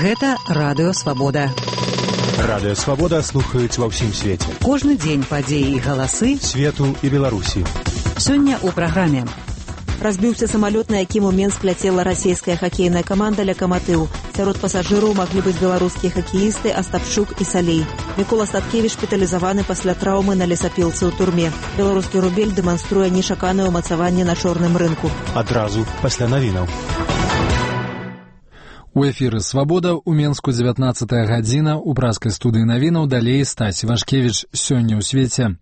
Гэта Радыё Свабода. Радыё Свабода слухаюць ва ўсім свеце. Кожны дзень падзеі і галасы свету і Беларусі. Сёння ў праграме. Разбіўся самалёт, на якім у Менск ляцела расійская хакейная каманда «Локомотив». Сярод пасажыраў маглі быць беларускія хакеісты Астапчук і Салей. Мікола Статкевіч шпіталізаваны пасля траўмы на лесапілцы ў турме. Беларускі рубель дэманструе нечаканае ўмацаванне на чорным рынку. Адразу пасля навінаў. У эфіры «Свабода» у Менску 19-я гадзіна, у праскай студыі навінаў далей Стась Вашкевіч. Сёння ў свеце.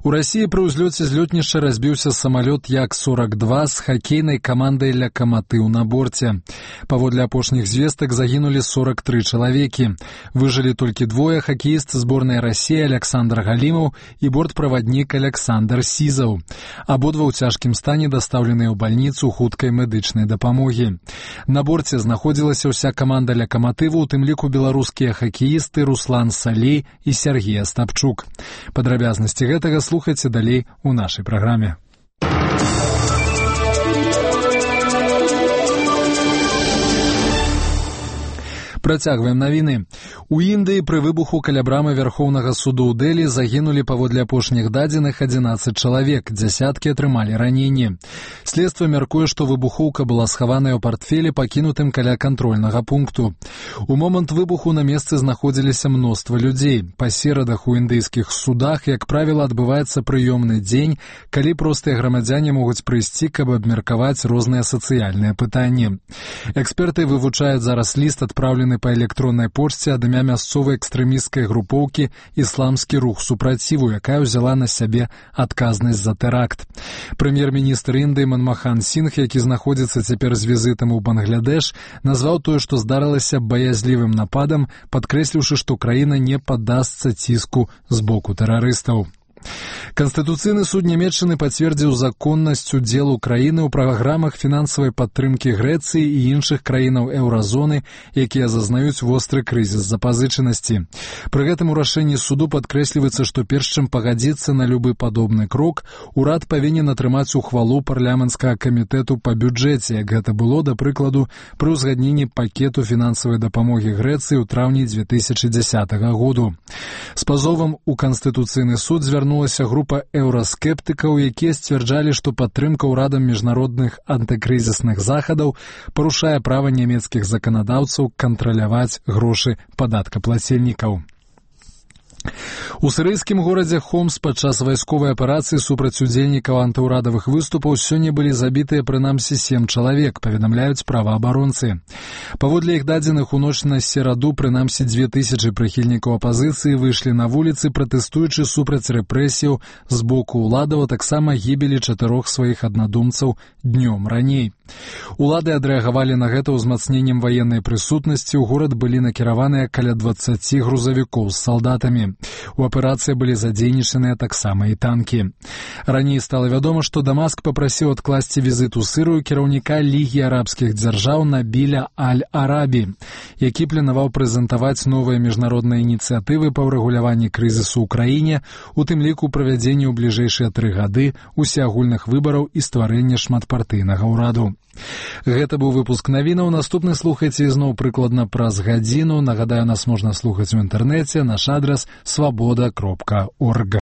У Расіі пры ўзлёце з лётнішча разбіўся самалёт Як-42 з хакейнай камандай «Локомотив» на борце. Паводле апошніх звестак загінулі 43 чалавекі. Выжылі толькі двое: хакеіст зборнай Расіі Александр Галімаў і бортправаднік Александр Сізаў. Абодва ў цяжкім стане дастаўленыя ў бальніцу хуткай медычнай дапамогі. На борце знаходзілася ўся каманда «Локомотиву», у тым ліку беларускія хакеісты Руслан Салей і Сергей Астапчук. Падрабязнасці гэтага слухайце далей у нашай праграме. Працягваем навіны. У Індыі пры выбуху каля брамы Вярхоўнага суду ў Дэлі загінулі паводле апошніх дадзеных 11 чалавек, дзясяткі атрымалі раненні. Следства мяркуе, што выбухоўка была схаваная ў партфелі, пакінутым каля кантрольнага пункту. У момант выбуху на месцы знаходзіліся мноства людзей. Па серадах у індыйскіх судах, як правіла, адбываецца прыёмны дзень, калі простыя грамадзяне могуць прыйсці, каб абмеркаваць розныя сацыяльныя пытанні. Эксперты вывучаюць зараз ліст, адпраўлены па электроннай пошце ад імя мясцовай экстрэмісцкай групоўкі «Ісламскі рух супраціву», якая ўзяла на сябе адказнасць за тэракт. Прэм'ер-міністр Індыі Манмахан Сінгх, які знаходзіцца цяпер з візітам у Бангладеш, назваў тое, што здарылася, баязлівым нападам, падкрэсліўшы, што краіна не паддасца ціску з боку тэрарыстаў. Канстытуцыйны суд Нямецчыны пацвердзіў законнасць удзелу краіны ў праграмах фінансавай падтрымкі Грэцыі і іншых краінаў еўразоны, якія зазнаюць востры крызіс запазычанасці. Пры гэтым у рашэнні суду падкрэсліваецца, што перш чым пагадзіцца на любы падобны крок, урад павінен атрымаць ухвалу парламенцкага камітэту па бюджэце, як гэта было, да прыкладу, пры ўзгадненні пакету фінансавай дапамогі Грэцыі ў траўні 2010 году. З пазовам у Канстытуцыйны суд звярнулася група еўраскептыкаў, якія сцвярджалі, што падтрымка ўрадам міжнародных антыкрызісных захадаў парушае права нямецкіх заканадаўцаў кантраляваць грошы падаткаплацельнікаў. У сірыйскім горадзе Хомс падчас вайсковай аперацыі супраць удзельнікаў антыўрадавых выступаў сёння былі забітыя прынамсі 7 чалавек, паведамляюць праваабаронцы. Паводле іх дадзеных, у ноч на сераду прынамсі 2000 прыхільнікаў апазіцыі выйшлі на вуліцы, пратэстуючы супраць рэпрэсіяў з боку ўладаў, а таксама гібелі 4 сваіх аднадумцаў днём раней. Улады адрэагавалі на гэта ўзмацненнем ваеннай прысутнасці. У горад былі накіраваныя каля 20 грузавікоў з салдатамі. У аперацыі былі задзейнічаныя таксама і танкі. Раней стала вядома, што Дамаск папрасіў адкласці візіт у Сырыю кіраўніка Лігі арабскіх дзяржаў Набіля Аль-Арабі, які планаваў прэзентаваць новыя міжнародныя ініцыятывы па ўрэгуляванні крызісу ў краіне, у тым ліку правядзенні ў бліжэйшыя 3 гады усеагульных выбараў і стварэння шматпартыйнага ўраду. Гэта быў выпуск навінаў. Наступны слухайце ізноў прыкладна праз гадзіну. Нагадаю, нас можна слухаць у інтэрнэце. Наш адрас свабода.орг.